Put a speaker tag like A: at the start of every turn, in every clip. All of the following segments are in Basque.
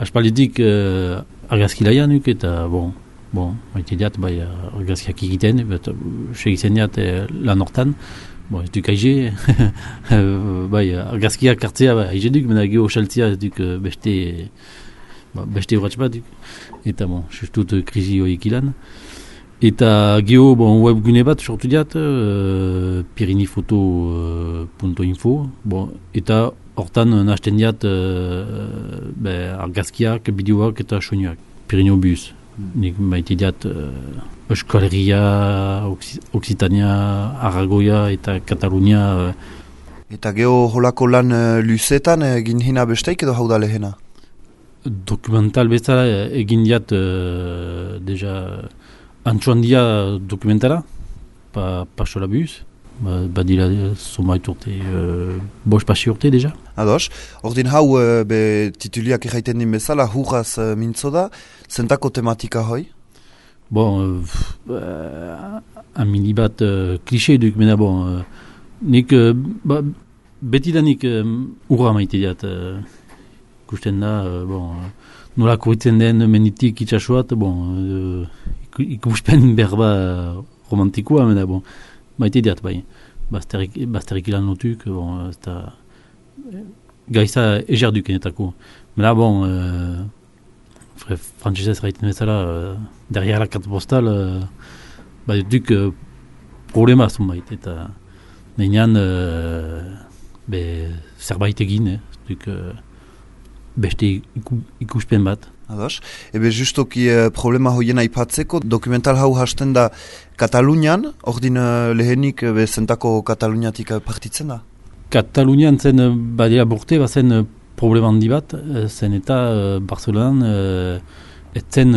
A: aspalditik argazkilaia nuk eta maite diat, argazkiak egiten, segitzen diat lan hortan, ez duk aize, argazkiak hartzea aize duk, mena geho saltzea ez duk beste urratx bat duk, eta sustut krizi horiek ilan. Eta geho webgune bat sortu diat, pirinifoto.info, eta hortan nahazten diat argazkiak, bideoak eta soinuak, Pirinobus. Nik maite diat Euskal Herria, Occitania, Aragoia eta Katalunia.
B: Eta geho holako lan luzetan egin hina besteik edo hau da lehena?
A: Dokumental bezala egin diat deja antxoan dia dokumentara, pasola buz. Badira somait urte, bost pasi urte deja.
B: Ados, ordin hau tituliak erraiten din bezala, hurraz mintzo da, zentako tematika hoi?
A: Amini bat klixe duk, mena nik betidanik urra maite diat, ikusten da, nola korritzen den menitik itxasuat, ikuspen berba romantikoa, mena maite diat, bazterik ilan notuk, gaiza ezerduk enetako. Mela, frantzesez raiten bezala, derrière la carte postale, duk problema zunbait, eta nenean zerbait egin, duk beste ikuspen bat.
B: Ados, justoki problema hoien aipatzeko, dokumental hau hasten da Katalunian, ordin lehenik zentako Kataluniatik partitzen da?
A: Katalunian zen badea borte, bazen problema handi bat, zen eta Barcelonan etzen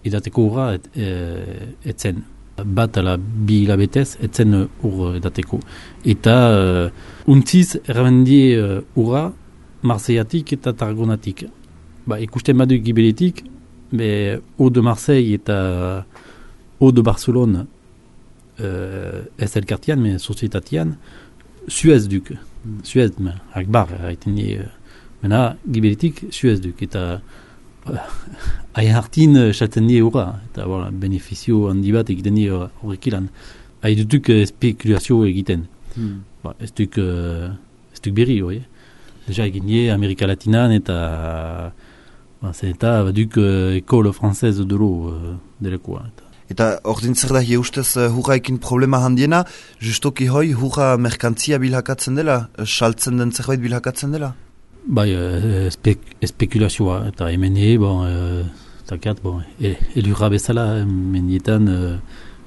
A: edateko urra etzen. Bat ala bi hilabetez etzen ur edateko. Eta untziz errabendie urra Marseillatik eta Tarragonatik. Ikusten badu gibeletik, Eau de Marseille eta Eau de Barcelone ez elkartian, sozietatian, Suez duk. Suez, akbar, mena gibeletik Suez duk. Eta hain hartin saltzen die urra. Eta benefizio handi bat egiten die horrek ilan. Hain dutuk spekulazio egiten. Ez duk berri hori. Deja egin die Amerika Latinan eta baduk ekole frantzez delo delekoa.
B: Eta ordin zer da ustez hurraekin problema handiena, justoki hoi hurra merkantzia bilhakatzen dela, saltzen den zerbait bilhakatzen dela?
A: Spekulazioa, eta hemen elurra bezala, mendietan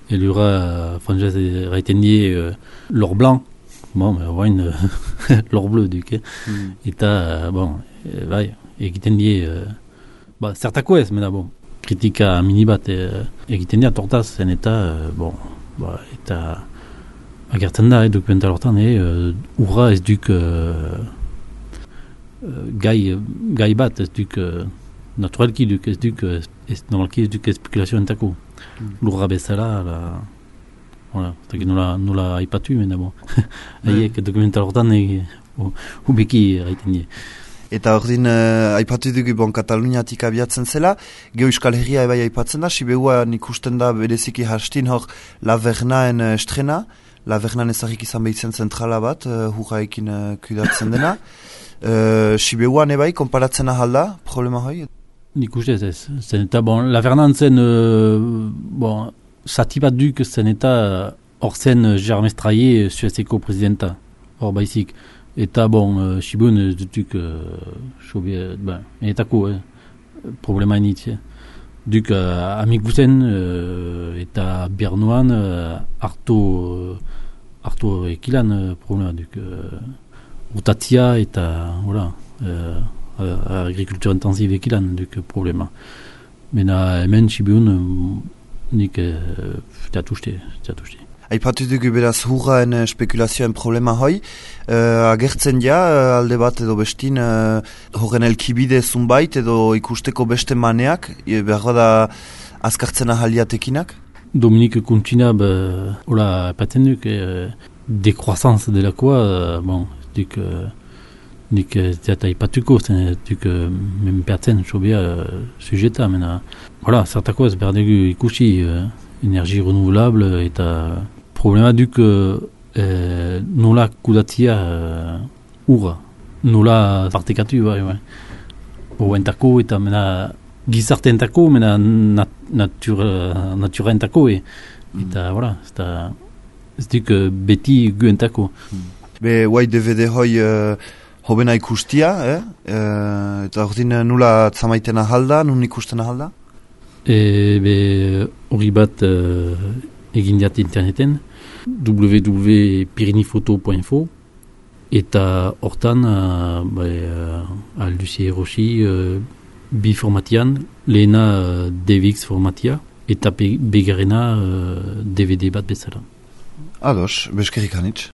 A: elurra frantzez raiten die lor blanc, lor bleu duk, eta, egiten die, zertako ez, mena, kritika mini bat egiten dira tortaz zen eta, eta agertzen da, dokumental hortan, urra ez duk gai bat, ez duk naturalki duk, ez duk normalki ez duk spekulazio entako. Lurra bezala, nola aipatu, mena, haiek dokumental hortan ubeki egiten dira.
B: Eta ordin aipatu dugu Kataluniatik abiatzen zela, geho Euskal Herria ebai aipatzen da, Siberuan ikusten da bereziki hastin hor Lavernaen estrena, Lavernaen ezagik izan behitzen zentrala bat, hurraekin kudatzen dena. Siberuan ebai, konparatzen ahalda, problema hoi?
A: Nik uste ez, zen eta Lavernaen zen, sati bat duk zen eta hor zen Germain Straye Suezeko presidenta, hor baizik. Eta Siberuan ez dutuk enetako problema enitz. Duk amik guzen eta Bernoan hartu ekilan problema duk. Utatzia eta agrikultura intensiv ekilan duk problema. Mena hemen Siberuan nik teatuste.
B: Aipatu dugu beraz hurraen spekulazioen problema hoi, agertzen ja alde bat edo bestin horren elkibide zunbait edo ikusteko beste maneak, behar da azkartzen ahaliatekinak?
A: Dominique Kuntina, apatzen duk, dekroazanz delakoa, duk nik ez eta ipatuko, zen duk menpeatzen sobia sujeta, mena, voilà, zertako ez behar dugu ikusi energi renouvelable eta problema duk nola kudatzia urra, nola partekatu, bai. Entako eta mena gizarteentako, mena naturaentako, eta, voilà, ez duk beti guentako.
B: Be, guai DVD hoi hobena ikustia, eta ordin nula zamaiten ahalda, nun ikusten ahalda?
A: Be, hori bat egin diat interneten, www.pirinifoto.info, eta hortan Lucie Rochi bi formatian, lehena DVX formatia, eta begarrena DVD bat bezala.
B: Ados, beskerik anitz.